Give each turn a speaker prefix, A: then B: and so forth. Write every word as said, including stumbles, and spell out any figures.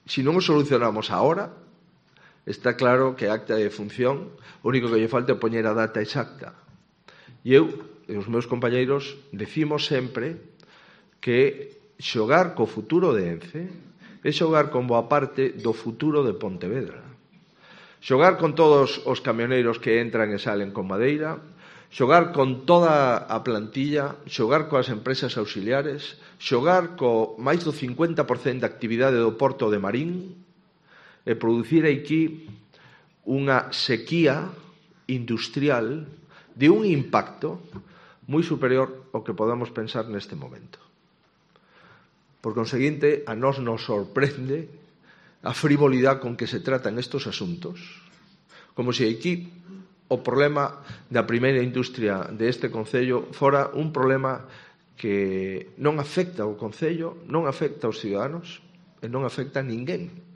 A: se non o solucionamos agora, está claro que a acta de función, o único que lle falta é poñer a data exacta. E eu e os meus compañeiros decimos sempre que xogar co futuro de Ence é xogar con boa parte do futuro de Pontevedra. Xogar con todos os camioneiros que entran e salen con madeira, xogar con toda a plantilla, xogar coas empresas auxiliares, xogar co máis do cincuenta por cento de actividade do Porto de Marín e producir aquí unha sequía industrial de un impacto moi superior ao que podamos pensar neste momento. Por conseguinte, a nós nos sorprende a frivolidade con que se tratan estos asuntos, como se aquí o problema da primeira industria deste concello fora un problema que non afecta ao concello, non afecta aos ciudadanos e non afecta a ninguén.